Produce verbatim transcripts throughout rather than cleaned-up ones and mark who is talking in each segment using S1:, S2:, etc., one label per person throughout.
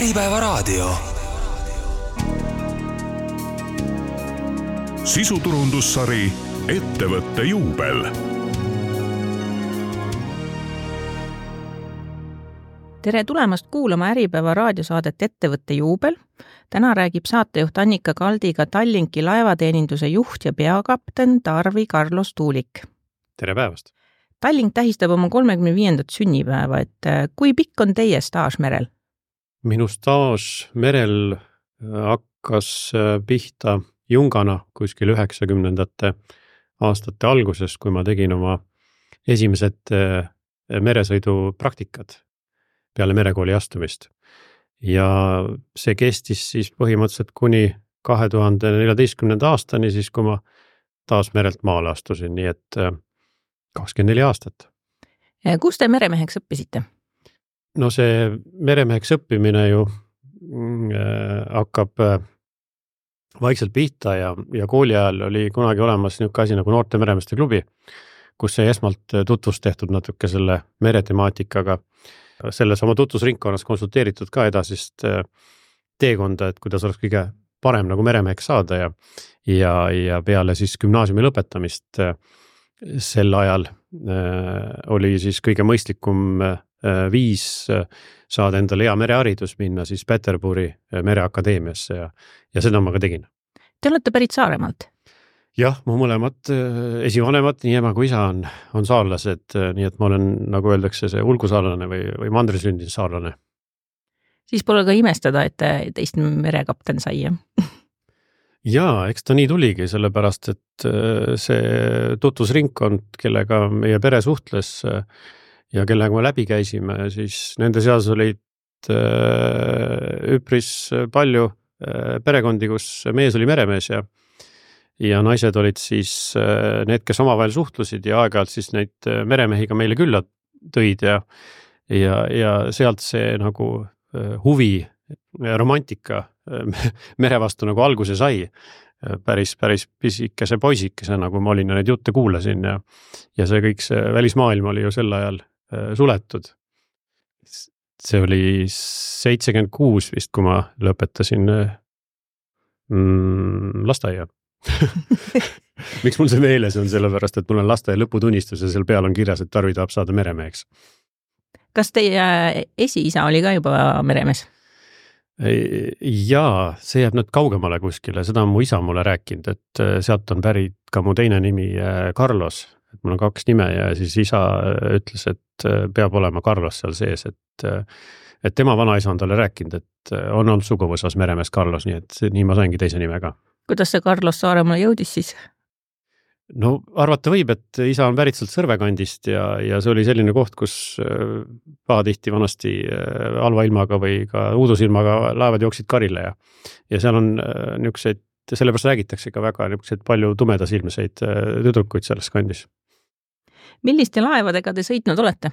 S1: Äripäevaraadio.
S2: Sisuturundussari Ettevõtte juubel.
S3: Tere tulemast kuulama Äripäeva raadiosaadet Ettevõtte juubel. Täna räägib saatejuht Annika Kaldiga Tallinki laevateeninduse juht ja peakapten Tarvi Carlos Tuulik.
S4: Tere päevast!
S3: Tallink tähistab oma kolmekümne viiendat sünnipäeva, et kui pikk on teie staaž merel?
S4: Minu staaž merel hakkas pihta jungana kuskil üheksakümnendate aastate alguses, kui ma tegin oma esimesed meresõidu praktikad peale merekooli astumist. Ja see kestis siis põhimõtteliselt kuni kahe tuhande neljateistkümnenda aastani, siis kui ma taas merelt maale astusin, nii et kakskümmend neli aastat.
S3: Kus te meremeheks õppisite?
S4: No see meremeheks õppimine ju äh, hakkab äh, vaikselt pihta ja, ja kooli ajal oli kunagi olemas niisugune asi nagu noorte meremeeste klubi, kus sai esmalt tutvust tehtud natuke selle meretemaatikaga. Selles oma tutvusringkonnas konsulteeritud ka edasist äh, teekonda, et kuidas oleks kõige parem nagu meremeheks saada ja, ja, ja peale siis gümnaasiumi lõpetamist äh, sel ajal äh, oli siis kõige mõistlikum äh, viis saada endale hea mereharidus minna siis Peterburi mereakadeemiasse ja, ja seda ma ka tegin.
S3: Te olete pärit Saaremaalt?
S4: Jah, mu mõlemad esivanemad, nii ema kui isa on, on saarlased, nii et ma olen, nagu öeldakse, see ulgusaarlane või, või mandrisündin saarlane.
S3: Siis pole ka imestada, et teist merekapten sai, jah?
S4: Jaa, eks ta nii tuligi, sellepärast, et see tutvusringkond, kellega meie pere suhtles ja kellega me läbi käisime, siis nende seas olid üpris palju perekondi, kus mees oli meremees ja, ja naised olid siis need, kes omavahel suhtlusid ja aeg-ajalt siis neid meremehiga meile külla tõid ja, ja, ja sealt see nagu huvi, romantika mere vastu nagu alguse sai päris, päris pisikese poisikese, nagu ma olin ja neid jutte kuulasin ja, ja see kõik see välismaailm oli ju sel ajal suletud. See oli seitsekümmend kuus vist, kui ma lõpetasin mm, lasteaia. Miks mul see meeles on, sellepärast, et mul on lasteaia lõputunnistus ja seal peal on kirjas, et Tarvi tahab saada meremeheks.
S3: Kas teie esiisa oli ka juba meremees?
S4: Jaa, see jääb nüüd kaugemale kuskile, seda on mu isa mulle rääkinud, et sealt on pärit ka mu teine nimi Carlos, et mul on kaks nime ja siis isa ütles, et peab olema Carlos seal sees, et, et tema vanaisa on talle rääkinud, et on olnud suguvõsas meremees Carlos, nii et nii ma saingi teise nimega.
S3: Kuidas see Carlos Saaremaale jõudis siis?
S4: No arvata võib, et isa on pärit sealt Sõrvekandist ja, ja see oli selline koht, kus pahatihti vanasti halva ilmaga või ka uudusilmaga laevad jooksid karile ja, ja seal on niisuguseid, sellepärast räägitakse ka väga niisuguseid palju tumedasilmeseid tüdrukuid selles kandis.
S3: Milliste laevadega te sõitnud olete?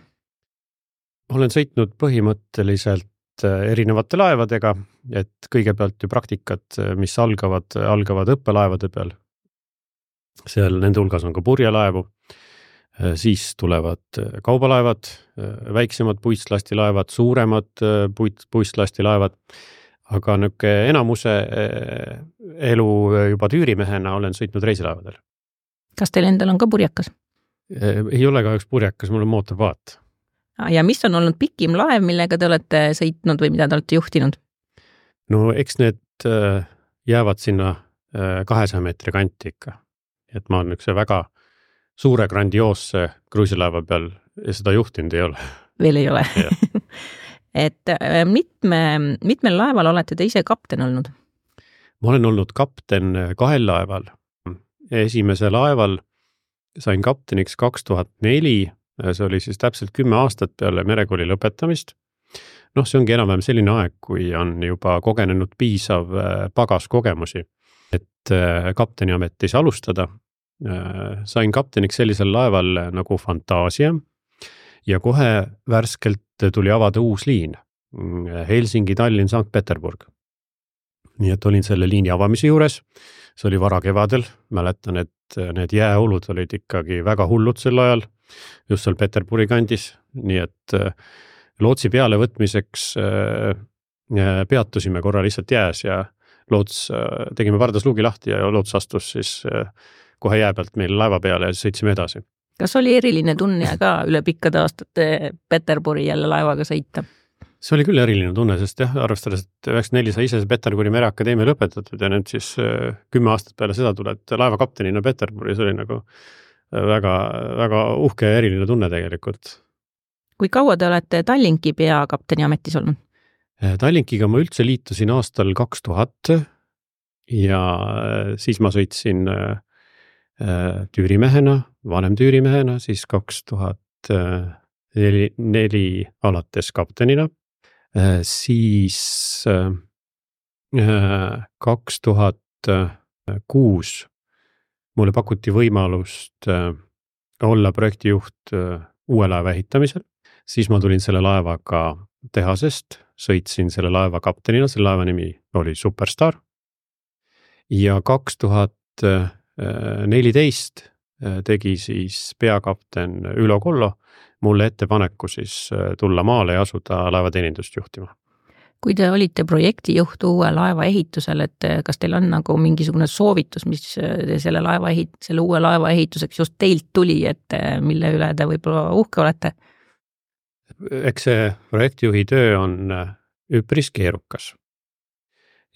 S4: Olen sõitnud põhimõtteliselt erinevate laevadega, et kõigepealt ju praktikad, mis algavad, algavad õppelaevade peal. Seal nende hulgas on ka purjelaevu, siis tulevad kaubalaevad, väiksemad puistlastilaevad, suuremad puit, puistlastilaevad, aga nüke enamuse elu juba tüürimehena olen sõitnud reisilaevadel.
S3: Kas teil endal on ka purjekas?
S4: Ei ole ka üks purjekas, mul on mootorpaat.
S3: Ja mis on olnud pikim laev, millega te olete sõitnud või mida te olete juhtinud?
S4: No eks need jäävad sinna kahesaja meetri kanti ikka. Et ma olen üks väga suure grandioosse kruisilaeva peal ja seda juhtinud ei ole.
S3: Veel ei ole. Et mitme, mitmel laeval olete te ise kapten olnud?
S4: Ma olen olnud kapten kahel laeval. Esimese laeval sain kapteniks kaks tuhat neli, see oli siis täpselt kümme aastat peale merekooli lõpetamist. Noh, see ongi enam-vähem selline aeg, kui on juba kogenenud piisav pagas kogemusi, et kapteni ametis alustada. Sain kapteniks sellisel laeval nagu Fantaasia ja kohe värskelt tuli avada uus liin Helsingi, Tallinn, Sankt Peterburg. Nii et olin selle liini avamise juures, see oli vara kevadel, mäletan, et need jääolud olid ikkagi väga hullud sel ajal, just seal Peterburi kandis, nii et lootsi peale võtmiseks peatusime korra lihtsalt jääs ja loots, tegime pardas luugi lahti ja loots astus siis kohe jää pealt meil laeva peale ja siis sõitsime edasi.
S3: Kas oli eriline tunne ka üle pikkade aastate Peterburi jälle laevaga sõita?
S4: See oli küll eriline tunne, sest jah, arvestades, et üheksakümmend neli sai ise Peterburi mereakadeemia lõpetatud ja nüüd siis kümme aastat peale seda tuled laevakaptenina Peterburi, see oli nagu väga, väga uhke ja eriline tunne tegelikult.
S3: Kui kaua te olete Tallinki peakapteni ametis olnud?
S4: Tallinkiga ma üldse liitusin aastal kaks tuhat ja siis ma sõitsin tüürimehena, vanem tüürimehena, siis kaks tuhat neli alates kaptenina, siis kaks tuhat kuus mulle pakuti võimalust olla projektijuht uue laeva ehitamisel, siis ma tulin selle laevaga tehasest, sõitsin selle laeva kaptenina, selle laeva nimi oli Superstar ja kaks tuhat neliteist tegi siis peakapten Ülo Kollo mulle ettepaneku siis tulla maale ja asuda laevateenindust juhtima.
S3: Kui te olite projektijuht uue laeva ehitusel, et kas teil on nagu mingisugune soovitus, mis selle, laeva ehit, selle uue laeva ehituseks just teilt tuli, et mille üle te võib-olla uhke olete?
S4: Eks see projektijuhi töö on üpris keerukas.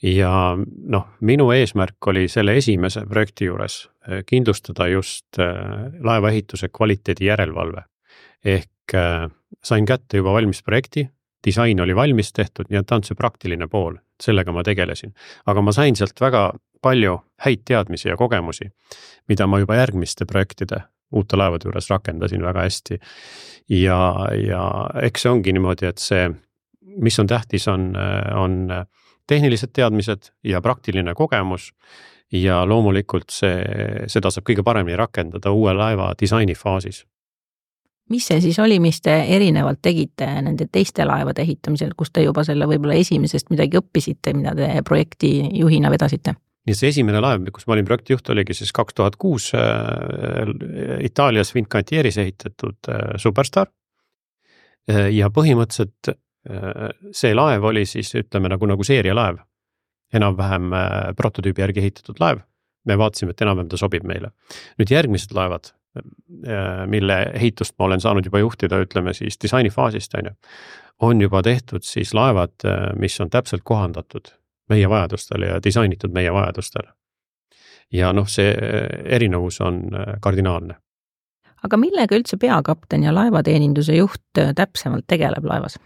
S4: Ja noh, minu eesmärk oli selle esimese projekti juures kindlustada just laeva ehituse kvaliteedi järelevalve. Ehk sain kätte juba valmis projekti, disain oli valmis tehtud, nii et ta on see praktiline pool, sellega ma tegelesin. Aga ma sain sealt väga palju häid teadmisi ja kogemusi, mida ma juba järgmiste projektide uute laevade juures rakendasin väga hästi. Ja, ja eks see ongi niimoodi, et see, mis on tähtis, on, on tehnilised teadmised ja praktiline kogemus ja loomulikult see, seda saab kõige paremini rakendada uue laeva disaini faasis.
S3: Mis see siis oli, mis te erinevalt tegite nende teiste laevade ehitamisel, kus te juba selle võib-olla esimesest midagi õppisite, mida te projekti juhina vedasite?
S4: Nii see esimene laev, kus ma olin projektijuht, oligi siis kaks tuhat kuus Itaalias Fincantieris ehitatud Superstar. Ja põhimõtteliselt see laev oli siis, ütleme, nagu, nagu seerialaev, enam-vähem prototüübi järgi ehitatud laev. Me vaatasime, et enam-vähem ta sobib meile. Nüüd järgmised laevad, mille ehitust ma olen saanud juba juhtida, ütleme siis disainifaasist, on juba tehtud siis laevad, mis on täpselt kohandatud meie vajadustele ja disainitud meie vajadustele. Ja noh, see erinevus on kardinaalne.
S3: Aga millega üldse peakapten ja laevateeninduse juht täpsemalt tegeleb laevas?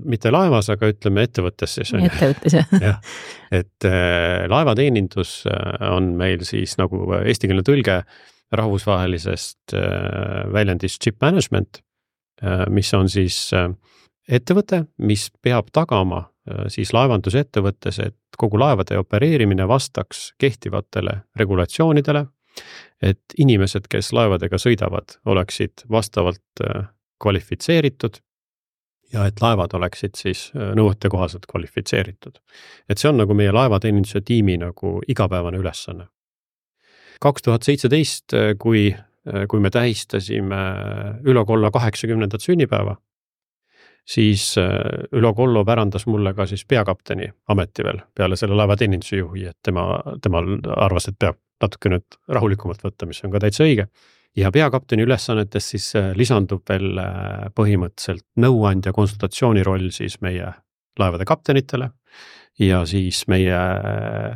S4: Mitte laevas, aga ütleme ettevõttes siis.
S3: Ettevõttes, jah.
S4: Ja, et laevateenindus on meil siis nagu eestikeelne tõlge rahvusvahelisest väljendist ship management, mis on siis ettevõte, mis peab tagama siis laevandusettevõttes, et kogu laevade opereerimine vastaks kehtivatele regulatsioonidele, et inimesed, kes laevadega sõidavad, oleksid vastavalt kvalifitseeritud ja et laevad oleksid siis nõuete kohaselt kvalifitseeritud. Et see on nagu meie laevateeninduse tiimi nagu igapäevane ülesanne. kaks tuhat seitseteist, kui, kui me tähistasime Ülo Kollo kaheksakümnendat sünnipäeva, siis Ülo Kollo pärandas mulle ka siis peakapteni ameti veel peale selle laevateeninduse juhi, et tema, tema arvas, et peab natuke nüüd rahulikumalt võtta, mis on ka täitsa õige. Ja peakapteni ülesannetes siis lisandub veel põhimõtteliselt nõuandja konsultatsiooni roll siis meie laevade kaptenitele ja siis meie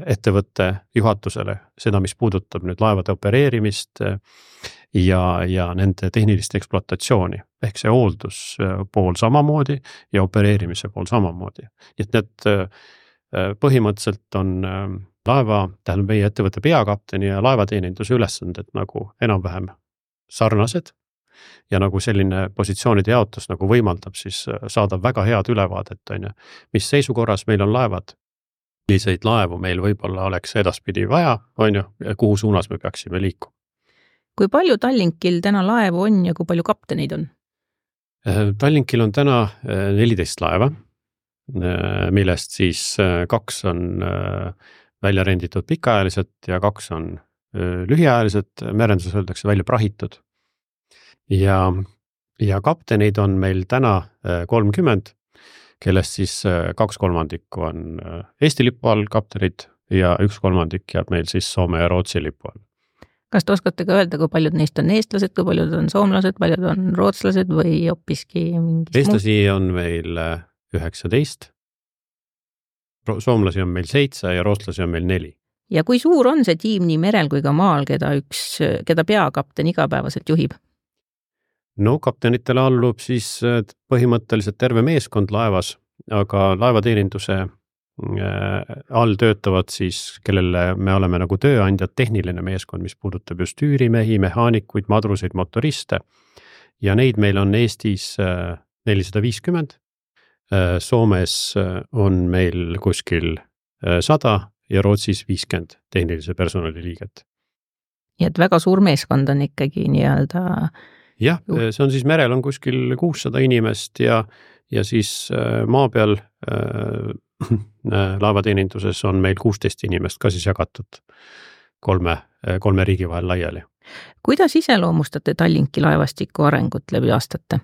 S4: ettevõtte juhatusele, seda, mis puudutab nüüd laevade opereerimist ja, ja nende tehnilist ekspluatatsiooni, ehk see hooldus pool samamoodi ja opereerimise pool samamoodi. Nii et need põhimõtteliselt on laeva, tähendab meie ettevõtte peakapteni ja laevateeninduse ülesanded nagu enam-vähem sarnased ja nagu selline positsioonide jaotus nagu võimaldab siis saada väga head ülevaadet, on ju, mis seisukorras meil on laevad, milliseid laevu meil võib-olla oleks edaspidi vaja, on ju, ja kuhu suunas me peaksime liikuma.
S3: Kui palju Tallinkil täna laevu on ja kui palju kapteneid on?
S4: Tallinkil on täna neliteist laeva, millest siis kaks on välja renditud pikaajaliselt ja kaks on lühiajaliselt, merenduses öeldakse välja prahitud. Ja, ja kapteneid on meil täna kolmkümmend, kellest siis kaks kolmandikku on Eesti lipu all kaptenid ja üks kolmandik jääb meil siis Soome ja Rootsi lipu all.
S3: Kas te oskate ka öelda, kui paljud neist on eestlased, kui paljud on soomlased, paljud on rootslased või hoopiski mingis
S4: Eestlasi on meil üheksateist, soomlasi on meil seitse ja rootslasi on meil neli.
S3: Ja kui suur on see tiim nii merel kui ka maal, keda, üks, keda peakapten igapäevaselt juhib?
S4: No kaptenitele allub siis põhimõtteliselt terve meeskond laevas, aga laevateeninduse all töötavad siis, kellele me oleme nagu tööandjad, tehniline meeskond, mis puudutab just üürimehi, mehaanikuid, madruseid, motoriste. Ja neid meil on Eestis nelisada viiskümmend, Soomes on meil kuskil sada ja Rootsis viiskümmend tehnilise personali liiget.
S3: Ja et väga suur meeskond on ikkagi nii-öelda...
S4: Jah, see on siis merel on kuskil kuussada inimest ja, ja siis maa peal äh, laevateeninduses on meil kuusteist inimest ka siis jagatud kolme, kolme riigi vahel laiali.
S3: Kuidas iseloomustate Tallinki laevastiku arengut läbi aastate?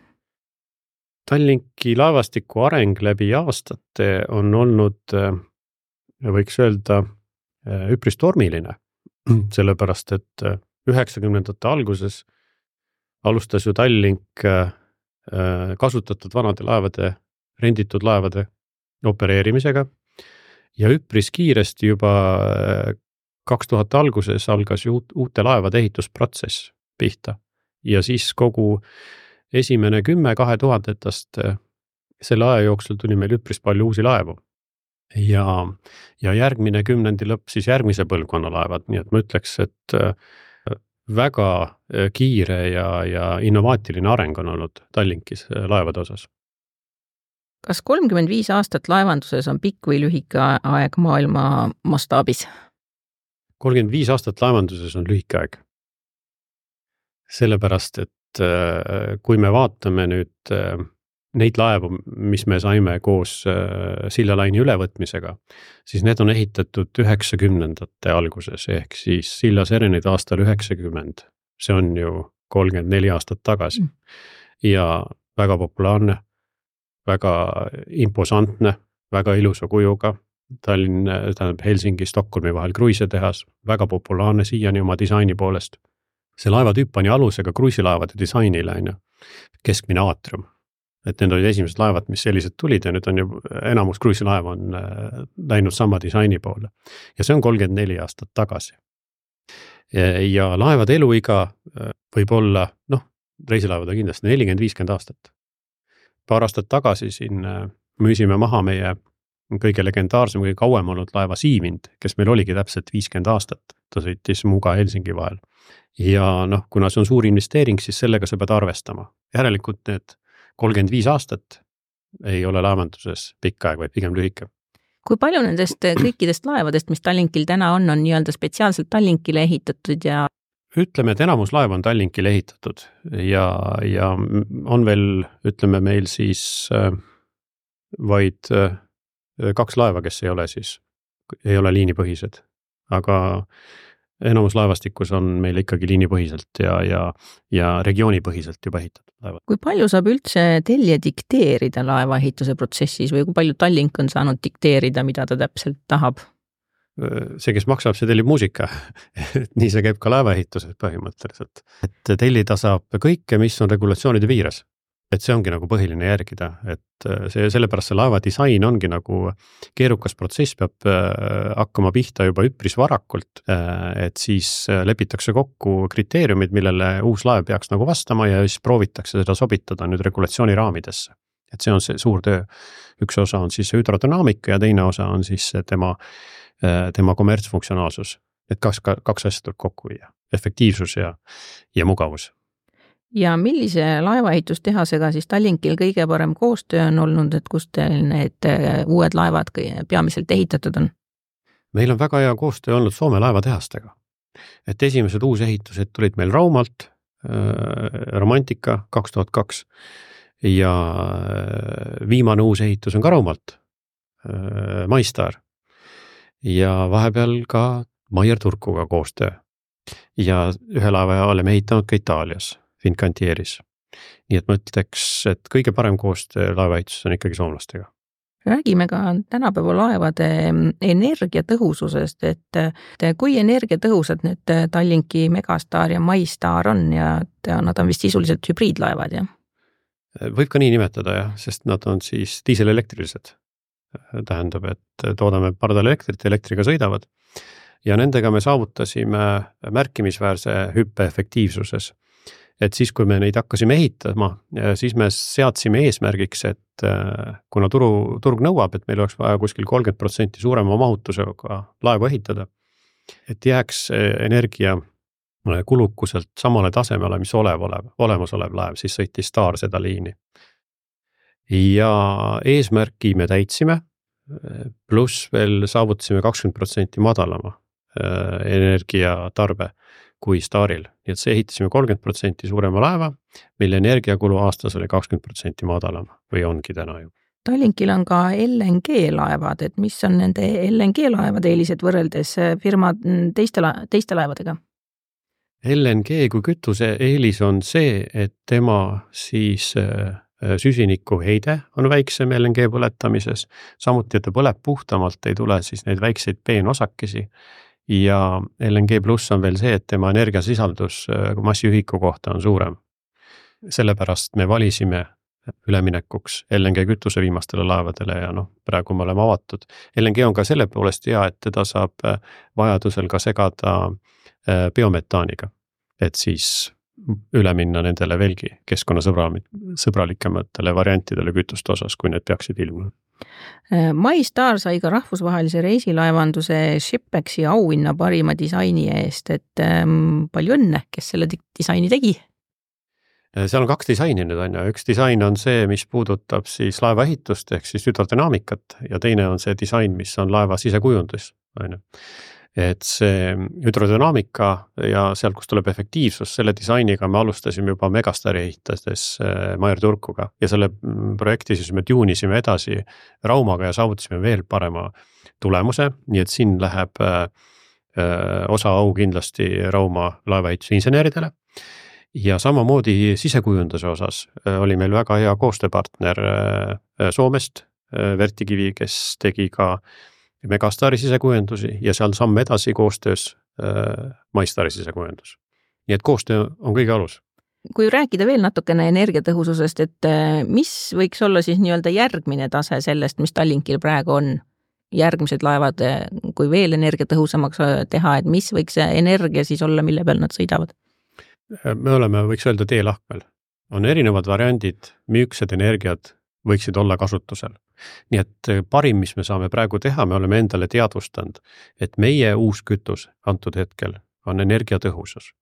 S4: Tallinki laevastiku areng läbi aastate on olnud, võiks öelda, üpris tormiline, sellepärast et üheksakümnendate alguses alustas ju Tallink kasutatud vanade laevade, renditud laevade opereerimisega ja üpris kiiresti juba kaks tuhat alguses algas ju uute laevade ehitusprotsess pihta ja siis kogu esimene kümme kahe tuhandetast selle aja jooksul tuli meil üpris palju uusi laevu ja, ja järgmine kümnendi lõpp siis järgmise põlvkonna laevad, nii et ma ütleks, et väga kiire ja, ja innovaatiline areng on olnud Tallinkis laevade osas.
S3: Kas kolmkümmend viis aastat laevanduses on pikk või lühike aeg maailma mastaabis?
S4: kolmkümmend viis aastat laevanduses on lühike aeg. Sellepärast, et kui me vaatame nüüd neid laevu, mis me saime koos sillalaini ülevõtmisega, siis need on ehitatud üheksakümnendate alguses, ehk siis Silla Serenid aastal üheksakümmend. See on ju kolmkümmend neli aastat tagasi. Ja väga populaarne, väga imposantne, väga ilusa kujuga. Tallinn, tähendab Helsingi, Stockholmi vahel kruiisetehas, väga populaarne siiani oma disaini poolest. See laevatüüp pani alusega kruiisilaevade disainile, keskmine aatrium. Et need olid esimesed laevad, mis sellised tulid ja nüüd on ju enamus kruiisilaev on läinud sama disaini poole. Ja see on kolmkümmend neli aastat tagasi. Ja laevade eluiga võib olla, noh, reisilaevad on kindlasti nelikümmend viiskümmend aastat. Paar aastat tagasi siin müüsime maha meie kõige legendaarsem, kõige kauem olnud laeva Siivind, kes meil oligi täpselt viiskümmend aastat. Ta sõitis Muga Helsingi vahel. Ja noh, kuna see on suur investeering, siis sellega sa pead arvestama. Järelikult need kolmkümmend viis aastat ei ole laevanduses pikk aeg, vaid pigem lühike.
S3: Kui palju nendest kõikidest laevadest, mis Tallinkil täna on, on nii-öelda spetsiaalselt Tallinkile ehitatud ja...
S4: Ütleme, et enamus laev on Tallinkile ehitatud ja, ja on veel, ütleme meil siis vaid kaks laeva, kes ei ole siis, ei ole liinipõhised, aga enamus laevastikus on meil ikkagi liinipõhiselt ja, ja, ja regioonipõhiselt juba ehitatud laevad.
S3: Kui palju saab üldse tellija dikteerida laevaehituse protsessis või kui palju Tallink on saanud dikteerida, mida ta täpselt tahab?
S4: See, kes maksab, see tellib muusika. Nii see käib ka laevaehituses põhimõtteliselt. Et tellida saab kõike, mis on regulatsioonide piires. Et see ongi nagu põhiline järgida, et see, sellepärast see laeva disain ongi nagu keerukas protsess, peab hakkama pihta juba üpris varakult, et siis lepitakse kokku kriteeriumid, millele uus laev peaks nagu vastama ja siis proovitakse seda sobitada nüüd regulatsiooni raamidesse. Et see on see suur töö. Üks osa on siis hüdrodünaamika ja teine osa on siis tema, tema kommertsfunktsionaalsus. Et kaks, kaks asja tuleb kokku viia, efektiivsus ja, ja mugavus.
S3: Ja millise laevaehitustehasega siis Tallinkil kõige parem koostöö on olnud, et kus teil need uued laevad peamiselt ehitatud on?
S4: Meil on väga hea koostöö olnud Soome laevatehastega. Et esimesed uusehitused tulid meil Raumalt, Romantika kaks tuhat kaks ja viimane uus ehitus on ka Raumalt, MyStar ja vahepeal ka Maier Turkuga koostöö ja ühe laeva oleme ehitanud ka Itaalias. Fincantieris. Nii et ma ütleks, et kõige parem koostöö laevaehituses on ikkagi soomlastega.
S3: Räägime ka tänapäeva laevade energiatõhususest, et kui energiatõhusad need Tallinki Megastar ja MyStar on ja nad on vist sisuliselt hübriidlaevad, jah?
S4: Võib ka nii nimetada, jah, sest nad on siis diiselelektrilised. Tähendab, et toodame pardal elektrit, elektriga sõidavad ja nendega me saavutasime märkimisväärse hüppe efektiivsuses. Et siis, kui me neid hakkasime ehitama, siis me seadsime eesmärgiks, et kuna turu, turg nõuab, et meil oleks vaja kuskil kolmkümmend protsenti suurema mahutusega laevu ehitada, et jääks energia kulukuselt samale tasemele, mis olev, olev, olemasolev laev, siis sõitis Star seda liini. Ja eesmärki me täitsime, pluss veel saavutasime kakskümmend protsenti madalama energiatarbe kui Staril. Nii et see ehitasime kolmkümmend protsenti suurema laeva, mille energiakulu aastas oli kakskümmend protsenti madalama või ongi täna ju.
S3: Tallinkil on ka L N G laevad, et mis on nende L N G laevade eelised võrreldes firma teiste, la- teiste laevadega?
S4: L N G kui kütuse eelis on see, et tema siis süsiniku heide on väiksem L N G põletamises, samuti, et ta põleb puhtamalt, ei tule siis neid väikseid peenosakesi. Ja L N G pluss on veel see, et tema energiasisaldus massiühiku kohta on suurem. Sellepärast me valisime üleminekuks L N G kütuse viimastele laevadele ja noh, praegu me oleme avatud. L N G on ka selle poolest hea, et teda saab vajadusel ka segada biometaaniga, et siis üle minna nendele veelgi keskkonnasõbralikematele variantidele kütuste osas, kui need peaksid ilmuma.
S3: MyStar sai ka rahvusvahelise reisilaevanduse Shipexi auhinna parima disaini eest, et ähm, palju õnne, kes selle disaini tegi?
S4: Seal on kaks disaini nüüd on ja üks disain on see, mis puudutab siis laeva ehitust ehk siis hüdrodünaamikat ja teine on see disain, mis on laeva sisekujundus. Et see hüdrodünaamika ja seal, kus tuleb efektiivsus, selle disainiga me alustasime juba Megastari ehitades Maier Turkuga ja selle projekti siis me tuunisime edasi Raumaga ja saavutasime veel parema tulemuse, nii et siin läheb osa au kindlasti Rauma laevaehituse inseneridele. Ja samamoodi sisekujunduse osas oli meil väga hea koostööpartner Soomest, Vertikivi, kes tegi ka Megastari sisekujundusi ja seal samm edasi koostöös äh, MyStari sisekujundus. Nii et koostöö on kõige alus.
S3: Kui rääkida veel natukene energiatõhususest, et mis võiks olla siis nii-öelda järgmine tase sellest, mis Tallinkil praegu on? Järgmised laevad, kui veel energiatõhusamaks teha, et mis võiks energia siis olla, mille peal nad sõidavad?
S4: Me oleme, võiks öelda, teelahkmel. On erinevad variandid, müüksed energiat võiksid olla kasutusel. Nii et parim, mis me saame praegu teha, me oleme endale teadvustanud, et meie uus kütus antud hetkel on energiatõhusus.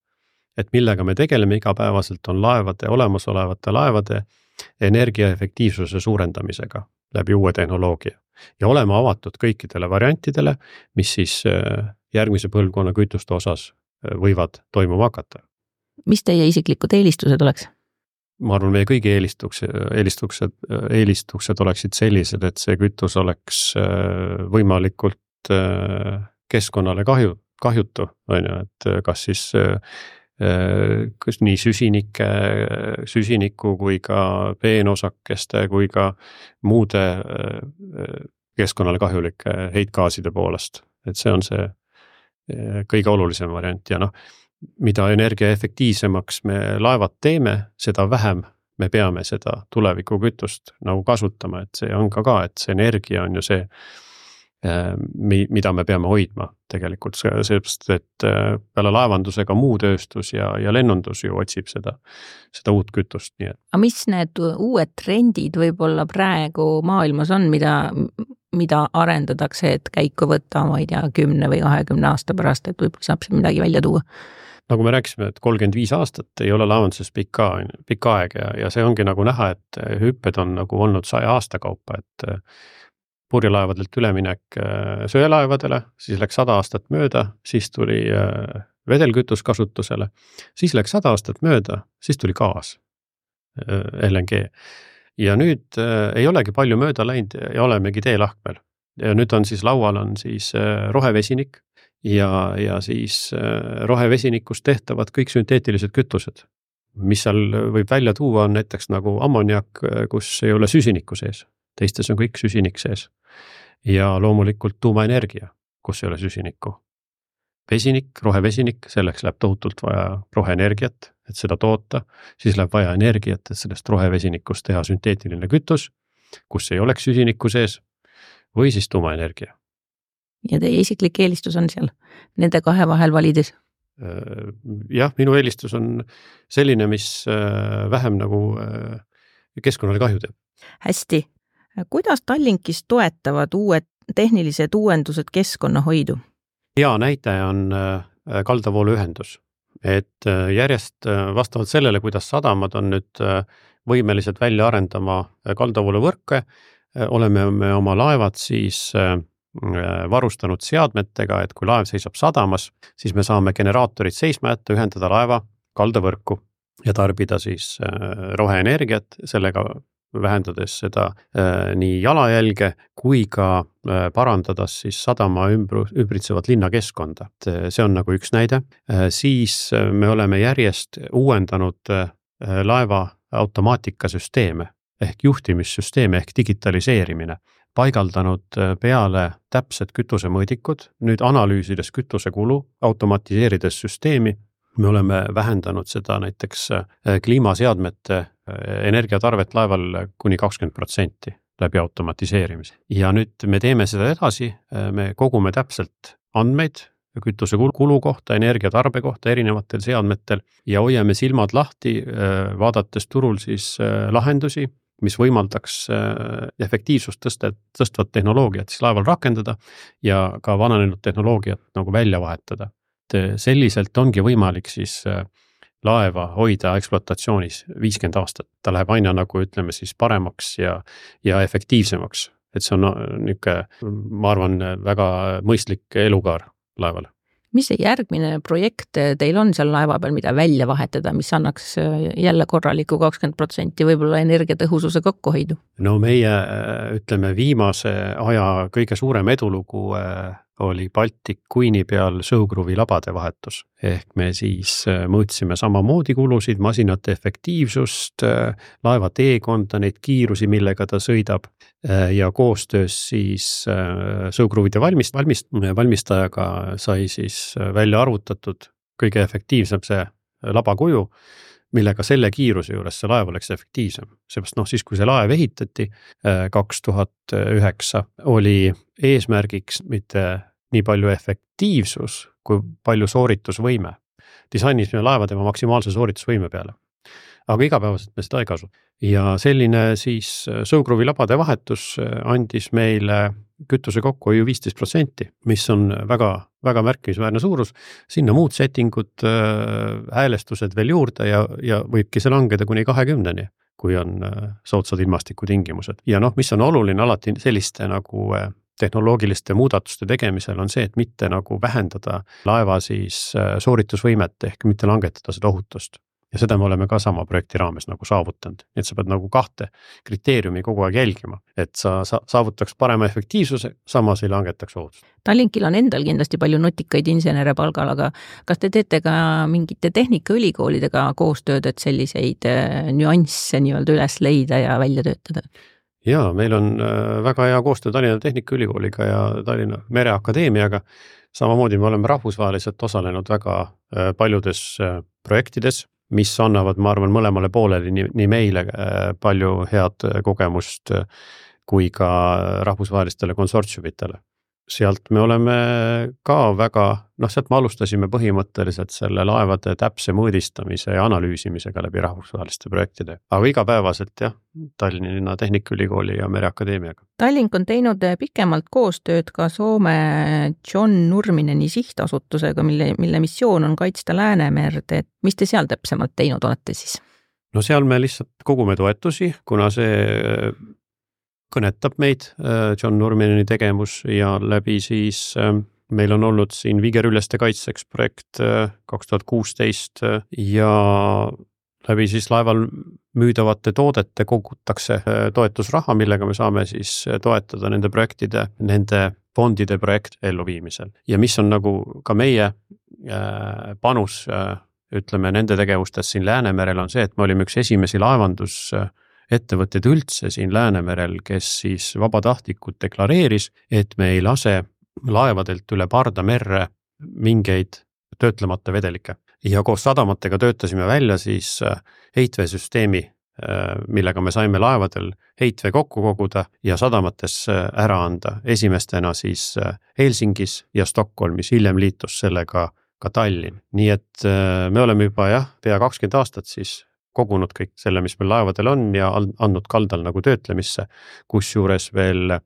S4: Et millega me tegeleme igapäevaselt on laevade, olemasolevate laevade energiaefektiivsuse suurendamisega läbi uue tehnoloogia. Ja oleme avatud kõikidele variantidele, mis siis järgmise põlvkonna kütuste osas võivad toimuma hakata.
S3: Mis teie isiklikud eelistused oleks?
S4: Ma arvan, meie kõigi eelistukse, eelistukse, eelistukset oleksid sellised, et see kütus oleks võimalikult keskkonnale kahju, kahjutu, et kas siis kas nii süsinike, süsiniku kui ka peenosakeste kui ka muude keskkonnale kahjulike heitgaaside poolest. Et see on see kõige olulisem variant ja noh, mida energia efektiivsemaks me laevad teeme, seda vähem me peame seda tuleviku kütust nagu kasutama, et see on ka ka, et see energia on ju see, mida me peame hoidma tegelikult, seepärast, et peale laevandusega muu tööstus ja, ja lennundus ju otsib seda, seda uut kütust. Nii et.
S3: A mis need uued trendid võib-olla praegu maailmas on, mida, mida arendatakse, et käiku võtta, ma ei tea, kümne või kahekümne aasta pärast, et võib-olla saab siin midagi välja tuua?
S4: Nagu me rääkisime, et kolmkümmend viis aastat ei ole laevanduses pikka, pikka aeg ja, ja see ongi nagu näha, et hüpped on nagu olnud saja aasta kaupa, et purjelaevadelt üleminek söelaevadele, siis läks sada aastat mööda, siis tuli vedelkütus kasutusele, siis läks sada aastat mööda, siis tuli gaas, L N G. Ja nüüd ei olegi palju mööda läinud ja olemegi teelahkmel. Ja nüüd on siis laual on siis rohevesinik, ja, ja siis rohevesinikust tehtavad kõik sünteetilised kütused. Mis seal võib välja tuua on näiteks nagu ammoniak, kus ei ole süsiniku sees. teistes on kõik süsinik sees. Ja loomulikult tuumaenergia, kus ei ole süsinikku. Vesinik, rohevesinik, selleks läheb tohutult vaja roheenergiat, et seda toota, siis läheb vaja energiat, et sellest rohevesinikust teha sünteetiline kütus, kus ei oleks süsinikku sees, või siis tuumaenergia.
S3: Ja teie isiklik eelistus on seal nende kahe vahel valides?
S4: Jah, minu eelistus on selline, mis vähem nagu keskkonnale kahju teeb.
S3: Hästi. Kuidas Tallinkis toetavad uued tehnilised uuendused keskkonnahoidu?
S4: Hea näide on kaldavooluühendus, et järjest vastavalt sellele, kuidas sadamad on nüüd võimelised välja arendama kaldavooluvõrke, oleme me oma laevad siis varustanud seadmetega, et kui laev seisab sadamas, siis me saame generaatorid seisma jätta, ühendada laeva kaldavõrku ja tarbida siis roheenergiat, sellega vähendades seda nii jalajälge kui ka parandades siis sadama ümbritsevat linnakeskkonda. See on nagu üks näide. Siis me oleme järjest uuendanud laeva automaatikasüsteeme ehk juhtimissüsteeme ehk digitaliseerimine. Paigaldanud peale täpsed kütusemõõdikud, nüüd analüüsides kütusekulu, automatiseerides süsteemi, me oleme vähendanud seda näiteks kliimaseadmete energiatarvet laeval kuni kakskümmend protsenti läbi automatiseerimise. Ja nüüd me teeme seda edasi, me kogume täpselt andmeid kütusekulu kohta, energiatarbe kohta erinevatel seadmetel ja hoiame silmad lahti, vaadates turul siis lahendusi, mis võimaldaks efektiivsust tõstet, tõstvat tehnoloogiat siis laeval rakendada ja ka vananenud tehnoloogiat nagu välja vahetada. Selliselt ongi võimalik siis laeva hoida ekspluatatsioonis viiskümmend aastat. Ta läheb aina nagu ütleme siis paremaks ja, ja efektiivsemaks. Et see on niisugune, ma arvan, väga mõistlik elukaar laevale.
S3: Mis see järgmine projekt teil on seal laeva peal, mida välja vahetada, mis annaks jälle korraliku kakskümmend protsenti võib-olla energiatõhususe kokkuhoidu?
S4: No meie, ütleme, viimase aja kõige suurem edulugu oli Baltic Queen'i peal sõukruvi labade vahetus. Ehk me siis mõõtsime samamoodi kulusid, masinate efektiivsust, laeva teekonda, neid kiirusi, millega ta sõidab ja koostöös siis sõukruvide valmist, valmist, valmistajaga sai siis välja arvutatud kõige efektiivsem see labakuju, millega selle kiiruse juures see laev oleks efektiivsem. Seepärast noh, siis kui see laev ehitati kaks tuhat üheksa, oli eesmärgiks mitte nii palju efektiivsus kui palju sooritusvõime. Disainisime laeva tema maksimaalse sooritusvõime peale. Aga igapäevaselt me seda ei kasu. Ja selline siis sõukruvi labade vahetus andis meile kütuse kokkuhoiu viisteist protsenti, mis on väga, väga märkimisväärne suurus. Sinna muud settingud, häälestused veel juurde ja, ja võibki see langeda kuni kahekümneni, kui on soodsad ilmastikutingimused. Ja noh, mis on oluline alati selliste nagu tehnoloogiliste muudatuste tegemisel on see, et mitte nagu vähendada laeva siis sooritusvõimet ehk mitte langetada seda ohutust. Ja seda me oleme ka sama projekti raames nagu saavutanud. Et sa pead nagu kahte kriteeriumi kogu aeg jälgima, et sa saavutaks parema efektiivsuse, samas ei langetaks ohutust.
S3: Tallinkil on endal kindlasti palju nutikaid insenere palgal, aga kas te teete ka mingite tehnikaülikoolidega koostööd, et selliseid nüansse nii-öelda üles leida ja välja töötada?
S4: Jaa, meil on väga hea koostöö Tallinna Tehnikaülikooliga ja Tallinna Mereakadeemiaga. Samamoodi me oleme rahvusvaheliselt osalenud väga paljudes projektides, mis annavad, ma arvan, mõlemale poolele nii, nii meile palju head kogemust kui ka rahvusvahelistele konsortsiumitele. Sealt me oleme ka väga, noh, sealt me alustasime põhimõtteliselt selle laevade täpse mõõdistamise ja analüüsimisega läbi rahvusvaheliste projektide. Aga igapäevaselt jah, Tallinna Tehnikaülikooli ja Mereakadeemiaga.
S3: Tallink on teinud pikemalt koostööd ka Soome John Nurmineni sihtasutusega, mille, mille missioon on kaitsta Läänemerd. Et mis te seal täpsemalt teinud olete siis?
S4: No seal me lihtsalt kogume toetusi, kuna see kõnetab meid John Nurmineni tegemus ja läbi siis meil on olnud siin viigerüljeste kaitseks projekt kaks tuhat kuusteist ja läbi siis laeval müüdavate toodete kogutakse toetusraha, millega me saame siis toetada nende projektide, nende fondide projekt elluviimisel. Ja mis on nagu ka meie panus, ütleme, nende tegevustes siin Läänemerel on see, et me olime üks esimesi laevandus ettevõtteid üldse siin Läänemerel, kes siis vabatahtlikult deklareeris, et me ei lase laevadelt üle pardamerre mingeid töötlemata vedelikke. Ja koos sadamatega töötasime välja siis heitveesüsteemi, millega me saime laevadel heitvee kokku koguda ja sadamates ära anda. Esimestena siis Helsingis ja Stockholmis, hiljem liitus sellega ka Tallinn. Nii et me oleme juba jah, pea kakskümmend aastat siis kogunud kõik selle, mis meil laevadel on ja andnud kaldal nagu töötlemisse, kus juures veel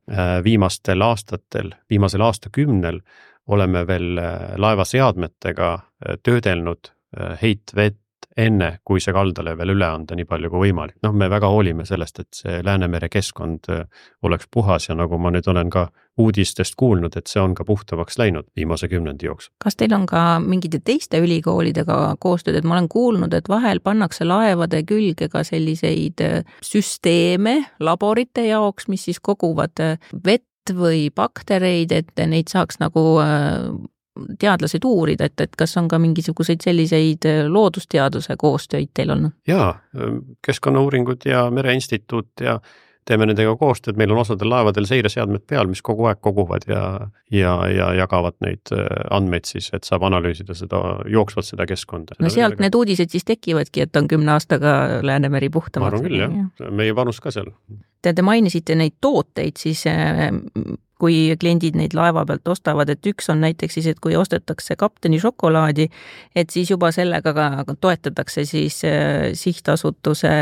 S4: viimastel aastatel, viimasel aastakümnel oleme veel laevaseadmetega töödelnud heitvett enne, kui see kaldale veel üle anda nii palju kui võimalik. Noh, me väga hoolime sellest, et see Läänemere keskkond oleks puhas ja nagu ma nüüd olen ka uudistest kuulnud, et see on ka puhtamaks läinud viimase kümnendi jooksul.
S3: Kas teil on ka mingite teiste ülikoolidega koostööd, et ma olen kuulnud, et vahel pannakse laevade külge ka selliseid süsteeme laborite jaoks, mis siis koguvad vett või baktereid, et neid saaks nagu teadlased uurida, et, et kas on ka mingisuguseid selliseid loodusteaduse koostöid teil olnud?
S4: Jaa, Keskkonnauuringud ja Mereinstituut ja teeme nendega koostööd, meil on osadel laevadel seireseadmed peal, mis kogu aeg koguvad ja, ja, ja jagavad neid andmeid siis, et saab analüüsida seda, jooksvalt seda keskkonda.
S3: No sealt need uudised siis tekivadki, et on kümne aastaga Läänemeri puhtamaks.
S4: Ma arvan küll, jah. Meie panus ka seal.
S3: Te, te mainisite neid tooteid, siis kui kliendid neid laeva pealt ostavad, et üks on näiteks siis, et kui ostetakse kapteni šokolaadi, et siis juba sellega ka toetatakse siis sihtasutuse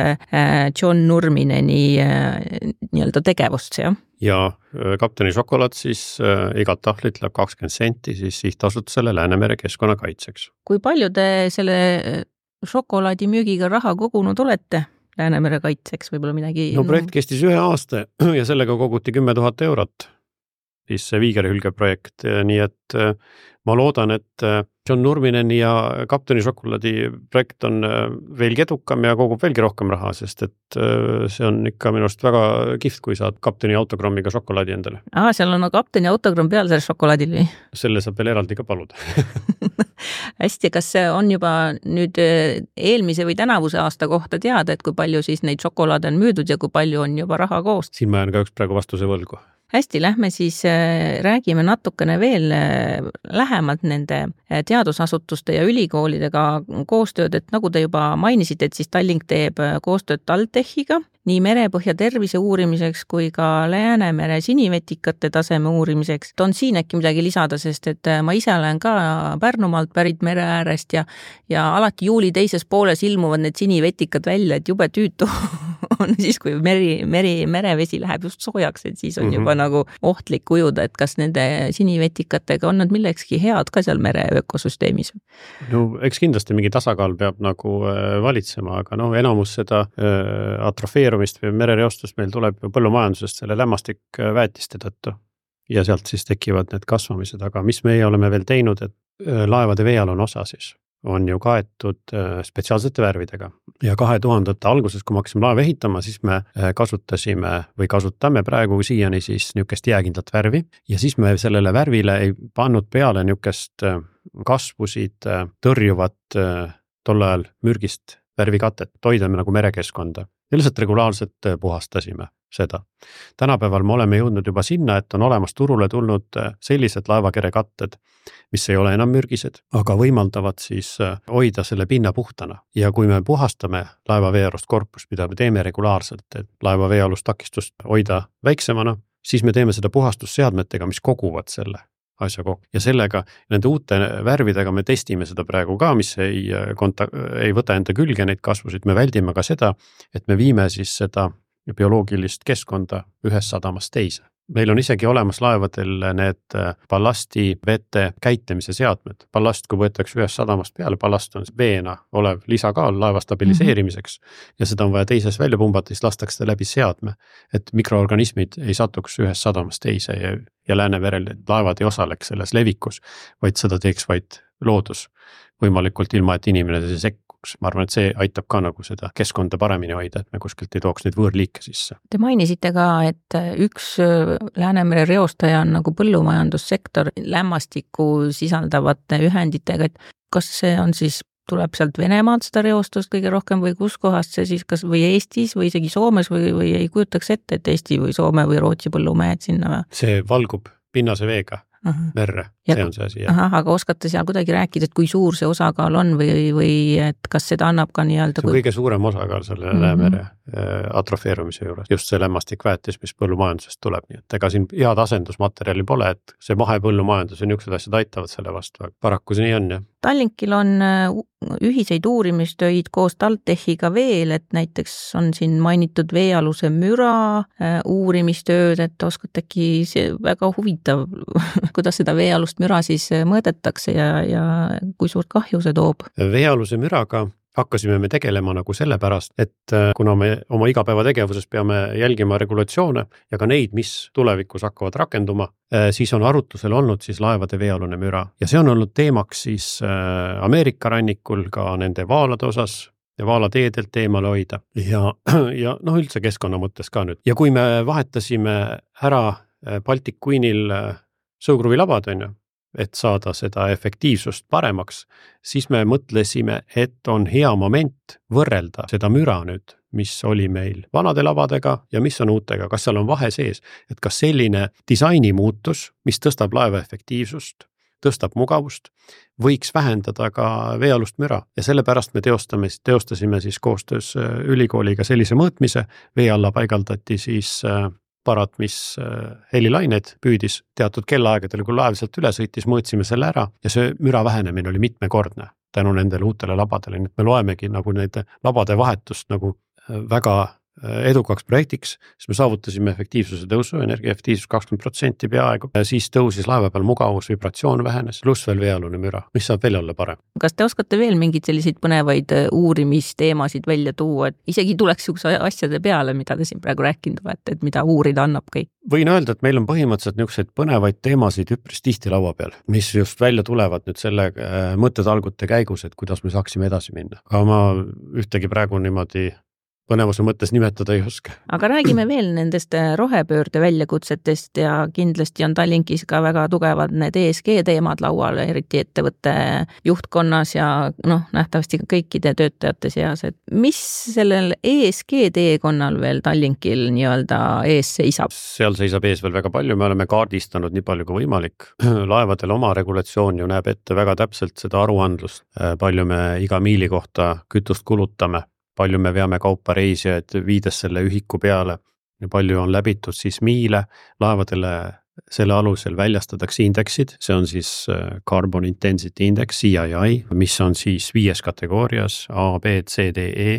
S3: John Nurmineni nii-öelda tegevust, jah?
S4: Ja kapteni šokolaad siis igat tahvlit läheb kakskümmend senti siis sihtasutusele Läänemere keskkonnakaitseks.
S3: Kui palju te selle šokolaadi müügiga raha kogunud olete Läänemere kaitseks, võib-olla midagi?
S4: No projekt kestis ühe aasta ja sellega koguti kümme tuhat eurot. Siis see Viigerhülge projekt, nii et ma loodan, et John Nurmineni ja kapteni šokolaadi projekt on veelgi edukam ja kogub veelgi rohkem raha, sest et see on ikka minust väga kihvt, kui saad kapteni autogrammiga šokolaadi endale.
S3: Aa, seal on kapteni autogramm peal selle šokolaadil või?
S4: Selle saab veel eraldi ka paluda.
S3: Hästi, kas on juba nüüd eelmise või tänavuse aasta kohta teada, et kui palju siis neid šokolaade on müüdud ja kui palju on juba raha koos?
S4: Siin ma jään ka üks praegu vastuse võlgu.
S3: Hästi, lähme siis räägime natukene veel lähemalt nende teadusasutuste ja ülikoolidega koostööd, et nagu te juba mainisite, et siis Tallink teeb koostööd TalTechiga nii merepõhja tervise uurimiseks kui ka Läänemere sinivetikate taseme uurimiseks. On siin äkki midagi lisada, sest et ma ise olen ka Pärnumaalt pärit mere äärest ja, ja alati juuli teises pooles ilmuvad need sinivetikad välja, et jube tüütu on siis, kui meri, meri, merevesi läheb just soojaks, et siis on mm-hmm. juba nagu ohtlik ujuda, et kas nende sinivetikatega on nad millekski head ka seal mere ökosüsteemis?
S4: No eks kindlasti mingi tasakaal peab nagu valitsema, aga no enamus seda atrofeerumist või merereostust meil tuleb põllumajandusest selle lämmastik väetiste tõttu ja sealt siis tekivad need kasvamised, aga mis meie oleme veel teinud, et laevade veealune osa siis on ju kaetud spetsiaalsete värvidega ja kahe tuhandete alguses, kui me hakkasime laeva ehitama, siis me kasutasime või kasutame praegu siiani siis niukest jääkindlat värvi ja siis me sellele värvile ei pannud peale niukest kasvusid tõrjuvat tol ajal mürgist värvikatet, toidame nagu merekeskkonda ja lihtsalt regulaarselt puhastasime seda. Tänapäeval me oleme jõudnud juba sinna, et on olemas turule tulnud sellised laevakerekatted, mis ei ole enam mürgised, aga võimaldavad siis hoida selle pinna puhtana. Ja kui me puhastame laeva veealust korpust, mida me teeme regulaarselt, et laeva veealust takistust hoida väiksemana, siis me teeme seda puhastusseadmetega, mis koguvad selle asja kokku. Ja sellega, nende uute värvidega me testime seda praegu ka, mis ei, konta- ei võta enda külge neid kasvusid. Me väldime ka seda, et me viime siis seda bioloogilist keskkonda ühes sadamast teise. Meil on isegi olemas laevadel need ballasti vete käitlemise seadmed. Ballast, kui võetakse ühes sadamast peale, ballast on veena olev lisakaal laeva stabiliseerimiseks mm-hmm. ja seda on vaja teises välja pumbata, siis lastakse läbi seadme, et mikroorganismid ei satuks ühes sadamast teise ja, ja Läänemerel laevad ei osaleks selles levikus, vaid seda teeks vaid loodus võimalikult ilma, et inimene see sekkuks. Ma arvan, et see aitab ka nagu seda keskkonda paremini hoida, et me kuskilt ei tooks neid võõrliike sisse.
S3: Te mainisite ka, et üks Läänemere reostaja on nagu põllumajandussektor lämmastikku sisaldavate ühenditega, et kas see on siis tuleb sealt Venemaalt seda reostust kõige rohkem või kus kohast see siis kas või Eestis või isegi Soomes või, või ei kujutaks ette, et Eesti või Soome või Rootsi põllumehed sinna või?
S4: See valgub pinnase veega. Aha. Merre,
S3: ja,
S4: see on see asi.
S3: Ahah, aga oskate seal kuidagi rääkida, et kui suur see osakaal on või, või et kas seda annab ka nii-öelda
S4: see on
S3: kui...
S4: kõige suurem osakaal selle mm-hmm. Läämere atrofeerumise juures, just see lämmastikväetis, mis põllumajandusest tuleb, nii et ega siin head asendusmaterjali pole, et see mahepõllumajandus ja niisugused asjad aitavad selle vastu, paraku see nii on, jah.
S3: Tallinkil on ühiseid uurimistöid koos TalTechiga veel, et näiteks on siin mainitud veealuse müra uurimistööd, et oskate äkki see väga huvitav, kuidas seda veealust müra siis mõõdetakse ja, ja kui suurt kahju see toob?
S4: Veealuse müraga hakkasime me tegelema nagu sellepärast, et kuna me oma igapäevategevuses peame jälgima regulatsioone ja ka neid, mis tulevikus hakkavad rakenduma, siis on arutlusel olnud siis laevade veealune müra. Ja see on olnud teemaks siis Ameerika rannikul ka nende vaalade osas ja vaalateedelt eemale hoida. Ja, ja noh, üldse keskkonna mõttes ka nüüd. Ja kui me vahetasime ära Baltic Queenil sõugruvilabad, on ju, et saada seda efektiivsust paremaks, siis me mõtlesime, et on hea moment võrrelda seda müra nüüd, mis oli meil vanade labadega ja mis on uutega, kas seal on vahe sees, et kas selline disaini muutus, mis tõstab laeva efektiivsust, tõstab mugavust, võiks vähendada ka veealust müra ja sellepärast me teostame, teostasime siis koostöös ülikooliga sellise mõõtmise, vee alla paigaldati siis aparat, mis helilaineid püüdis teatud kellaaegadel, kui laev sealt üle sõitis, mõõtsime selle ära ja see müra vähenemine oli mitmekordne tänu nendele uutele labadele, nii et me loemegi nagu need labade vahetust nagu väga edukaks projektiks, siis me saavutasime efektiivsuse tõusu, energia efektiivsus kakskümmend protsenti peaaegu, siis tõusis laeva peal mugavus, vibratsioon vähenes, pluss veel veealune müra, mis saab veel olla parem.
S3: Kas te oskate veel mingeid selliseid põnevaid uurimisteemasid välja tuua, et isegi tuleks niisuguse asjade peale, mida te siin praegu rääkinud olete, et mida uurida annab kõik?
S4: Võin öelda, et meil on põhimõtteliselt niisuguseid põnevaid teemasid üpris tihti laua peal, mis just välja tulevad nüüd selle mõttetalgute käigus, et kuidas me saaksime edasi minna. Aga ma ühtegi praegu niimoodi põnevuse mõttes nimetada ei oska.
S3: Aga räägime veel nendest rohepöörde väljakutsetest ja kindlasti on Tallinkis ka väga tugevad need E S G teemad laual, eriti ettevõtte juhtkonnas ja noh, nähtavasti kõikide töötajate seas, et mis sellel E S G teekonnal veel Tallinkil nii-öelda ees seisab?
S4: Seal seisab ees veel väga palju, me oleme kaardistanud nii palju kui võimalik. Laevadel oma regulatsioon ju näeb ette väga täpselt seda aruandlust, palju me iga miili kohta kütust kulutame, palju me veame kaupa reisijaid viides selle ühiku peale ja palju on läbitud siis miile, laevadele selle alusel väljastatakse indeksid, see on siis Carbon Intensity Index, C I I, mis on siis viies kategoorias A, B, C, D, E,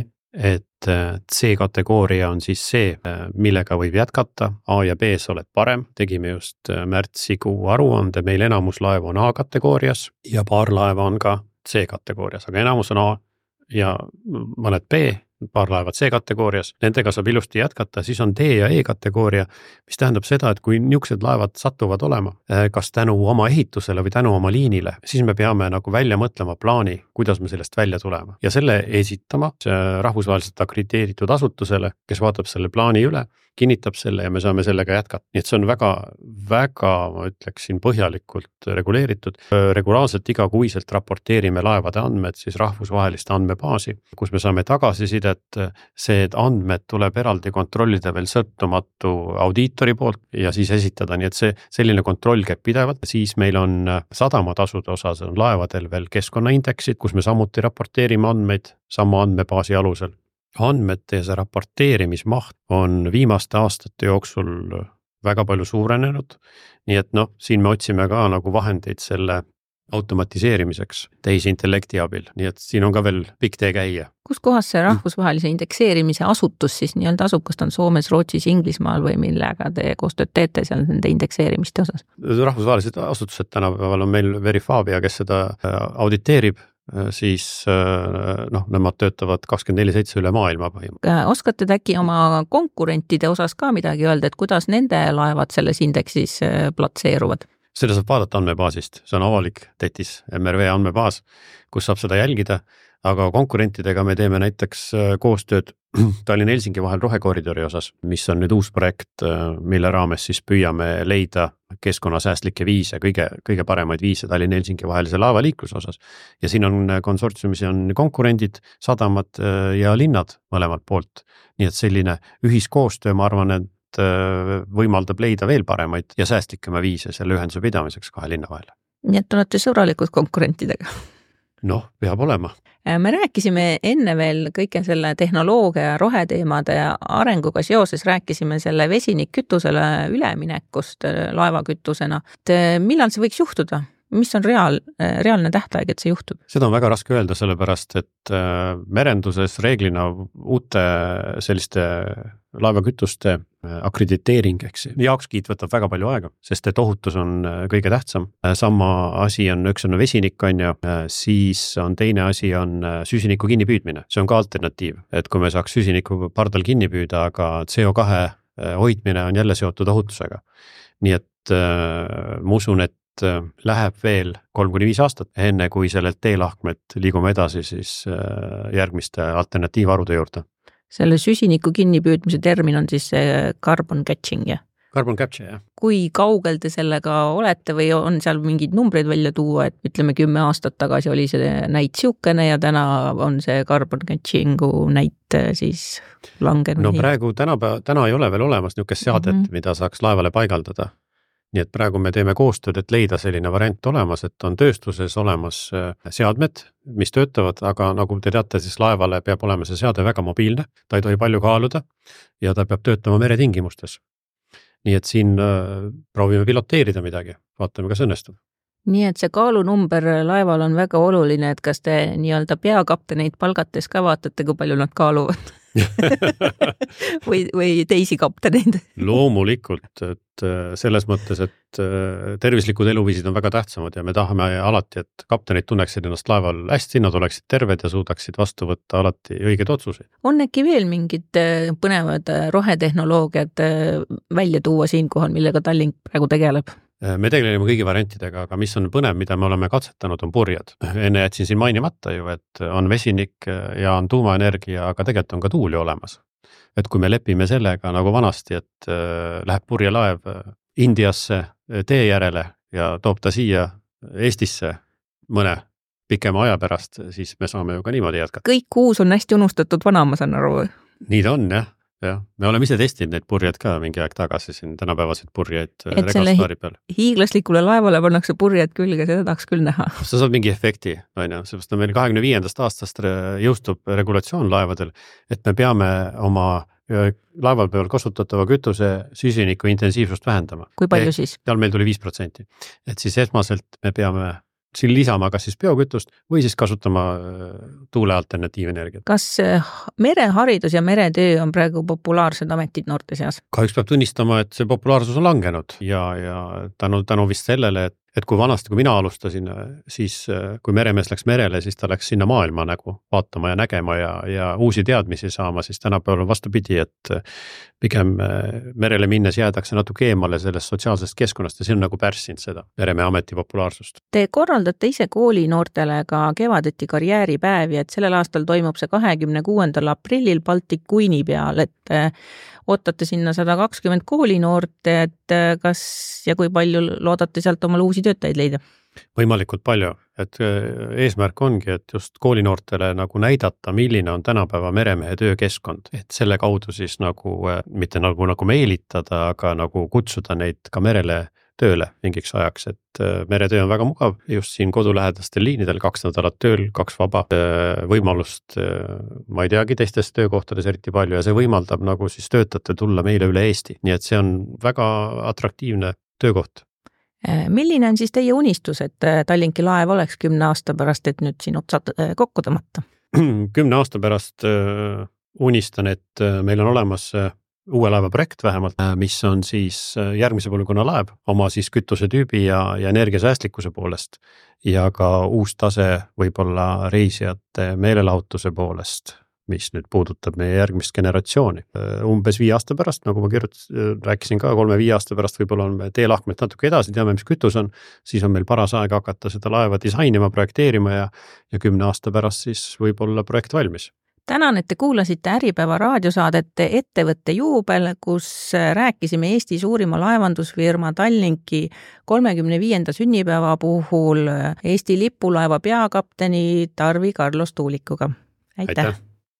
S4: et C kategooria on siis see, millega võib jätkata, A ja B sa oled parem, tegime just märtsikuu aruande, meil enamus laev on A kategoorias ja paar laeva on ka C kategoorias, aga enamus on A ja mõned B, paar laevad C kategoorias, nendega saab ilusti jätkata, siis on D ja E kategooria, mis tähendab seda, et kui niisugused laevad satuvad olema, kas tänu oma ehitusele või tänu oma liinile, siis me peame nagu välja mõtlema plaani, kuidas me sellest välja tulema ja selle esitama rahvusvaheliselt akrediteeritud asutusele, kes vaatab selle plaani üle, kinnitab selle ja me saame sellega jätkata. Nii et see on väga, väga, ma ütleksin, põhjalikult reguleeritud. Regulaarselt igakuiselt raporteerime laevade andmed siis rahvusvaheliste andmebaasi, kus me saame tagasisidet, see, et andmed tuleb eraldi kontrollida veel sõltumatu audiitori poolt ja siis esitada, nii et see selline kontroll käib pidevalt. Siis meil on sadamatasude osas on laevadel veel keskkonnaindeksid, kus me samuti raporteerime andmeid sama andmebaasi alusel. Andmete ja see raporteerimismaht on viimaste aastate jooksul väga palju suurenenud, nii et noh, siin me otsime ka nagu vahendeid selle automatiseerimiseks tehisintellekti abil, nii et siin on ka veel pikk tee käia.
S3: Kus kohas see rahvusvahelise indekseerimise asutus siis nii-öelda asub, kas ta on Soomes, Rootsis, Inglismaal või millega te koostööd teete seal nende indekseerimiste osas?
S4: Rahvusvahelised asutused tänapäeval on meil Verifabia, kes seda auditeerib, siis noh, nemad töötavad kakskümmend neli seitse üle maailma põhimõtteliselt.
S3: Oskate te äkki oma konkurentide osas ka midagi öelda, et kuidas nende laevad selles indeksis platseeruvad?
S4: Seda saab vaadata andmebaasist, see on avalik tetis M R V andmebaas, kus saab seda jälgida. aga konkurentidega me teeme näiteks koostööd Tallinna-Helsingi vahel rohekoridori osas, mis on nüüd uus projekt, mille raames siis püüame leida keskkonnasäästlikke viise, kõige, kõige paremaid viise Tallinna-Helsingi vahelise laevaliikluse osas. Ja siin on konsortsiumis on konkurendid, sadamad ja linnad mõlemalt poolt. Nii et selline ühiskoostöö, ma arvan, et võimaldab leida veel paremaid ja säästlikema viise selle ühenduse pidamiseks kahe linna vahel.
S3: Nii et olete sõbralikud konkurentidega?
S4: Noh, peab olema.
S3: Me rääkisime enne veel kõike selle tehnoloogia ja roheteemade arenguga seoses, rääkisime selle vesinikkütusele üleminekust laevakütusena. Et millal see võiks juhtuda? Mis on reaal, reaalne tähtaeg, et see juhtub? Seda
S4: on väga raske öelda, sellepärast, et merenduses reeglina uute selliste laevakütuste akrediteering, eks heakskiit võtab väga palju aega, sest et ohutus on kõige tähtsam. Sama asi on, üks on vesinik, on ju, siis on teine asi on süsiniku kinnipüüdmine. See on ka alternatiiv, et kui me saaks süsiniku pardal kinni püüda, aga C O kahe hoidmine on jälle seotud ohutusega. Nii et ma usun, et läheb veel kolm kuni viis aastat, enne kui sellelt teelahkmet liigume edasi siis järgmiste alternatiivarude juurde.
S3: Selle süsiniku kinnipüüdmise termin on siis carbon catching, jah?
S4: Carbon capture, jah.
S3: Kui kaugel te sellega olete või on seal mingid numbreid välja tuua, et ütleme kümme aastat tagasi oli see näit siukene ja täna on see carbon catchingu näit siis langenud?
S4: No praegu täna, täna ei ole veel olemas niisugust seadet, mm -hmm. mida saaks laevale paigaldada. Nii et praegu me teeme koostööd, et leida selline variant olemas, et on tööstuses olemas seadmed, mis töötavad, aga nagu te teate, siis laevale peab olema see seade väga mobiilne, ta ei tohi palju kaaluda ja ta peab töötama meretingimustes. Nii et siin proovime piloteerida midagi, vaatame, kas õnnestub.
S3: Nii et see kaalunumber laeval on väga oluline, et kas te nii-öelda peakapteneid palgates ka vaatate, kui palju nad kaaluvad või, või teisi kapteneid?
S4: Loomulikult, et selles mõttes, et tervislikud eluviisid on väga tähtsamad ja me tahame alati, et kaptenid tunneksid ennast laeval hästi, nad oleksid terved ja suudaksid vastu võtta alati õigeid otsuseid.
S3: On äkki veel mingid põnevad rohetehnoloogiad välja tuua siinkohal, millega Tallink praegu tegeleb?
S4: Me tegeleme kõigi variantidega, aga mis on põnev, mida me oleme katsetanud, on purjad. Enne jätsin siin mainimata ju, et on vesinik ja on tuumaenergia, aga tegelikult on ka tuuli olemas. Et kui me lepime sellega nagu vanasti, et läheb purjelaev Indiasse tee järele ja toob ta siia Eestisse mõne pikema aja pärast, siis me saame ju ka niimoodi jätkata.
S3: Kõik uus on hästi unustatud vana, ma saan aru.
S4: Nii ta on, jah. jah. Me oleme ise testinud neid purjad ka mingi aeg tagasi siin tänapäevaseid purjaid regastaari peal.
S3: Hiiglaslikule laevale pannakse purjed külge, seda tahaks küll näha.
S4: Sa saad mingi efekti, on ju, seepärast on meil kahekümne viiendast aastast jõustub regulatsioon laevadel, et me peame oma laeval peal kasutatava kütuse süsiniku intensiivsust vähendama.
S3: Kui palju siis?
S4: Seal meil tuli viis protsenti. Et siis esmaselt me peame siin lisama kas siis biokütust või siis kasutama tuule alternatiivenergiat.
S3: Kas mereharidus ja meretöö on praegu populaarsed ametid noorte seas?
S4: Kahjuks peab tunnistama, et see populaarsus on langenud ja, ja tänu, tänu vist sellele, et et kui vanasti, kui mina alustasin, siis kui meremees läks merele, siis ta läks sinna maailma nagu vaatama ja nägema ja, ja uusi teadmisi saama, siis tänapäeval on vastupidi, et pigem merele minnes jäädakse natuke eemale sellest sotsiaalsest keskkonnast ja see on nagu pärssinud seda meremehe ameti populaarsust.
S3: Te korraldate ise kooli noortele ka kevadeti karjääripäevi, et sellel aastal toimub see kahekümne kuuendal aprillil Baltic Queen'i peal, et ootate sinna sada kakskümmend koolinoort, et kas ja kui palju loodate sealt omale uusi töötajaid leida?
S4: Võimalikult palju, et eesmärk ongi, et just koolinoortele nagu näidata, milline on tänapäeva meremehe töökeskkond, et selle kaudu siis nagu, mitte nagu, nagu meelitada, aga nagu kutsuda neid ka merele tööle mingiks ajaks, et meretöö on väga mugav, just siin kodulähedastel liinidel kaks nädalat tööl, kaks vaba võimalust, ma ei teagi teistes töökohtades eriti palju ja see võimaldab nagu siis töötajate tulla meile üle Eesti, nii et see on väga atraktiivne töökoht.
S3: Milline on siis teie unistus, et Tallinki laev oleks kümne aasta pärast, et nüüd siin otsad kokku tõmmata?
S4: Kümne aasta pärast unistan, et meil on olemas uue laeva projekt vähemalt, mis on siis järgmise põlvkonna laev oma siis kütuse tüübi ja, ja energiasäästlikkuse poolest ja ka uus tase võib-olla reisijate meelelahutuse poolest. mis nüüd puudutab meie järgmist generatsiooni. Umbes viie aasta pärast, nagu ma kirjutas, rääkisin ka kolme-viie aasta pärast, võib-olla on me teelahkmelt natuke edasi, teame, mis kütus on, siis on meil paras aeg hakata seda laeva disainima, projekteerima ja, ja kümne aasta pärast siis võib-olla projekt valmis.
S3: Tänan, et te kuulasite Äripäeva raadiosaadet Ettevõtte juubel, kus rääkisime Eesti suurima laevandusfirma Tallinki kolmekümne viienda sünnipäeva puhul Eesti lipulaeva peakapteni Tarvi Carlos Tuulikuga. Aitäh! Aitäh.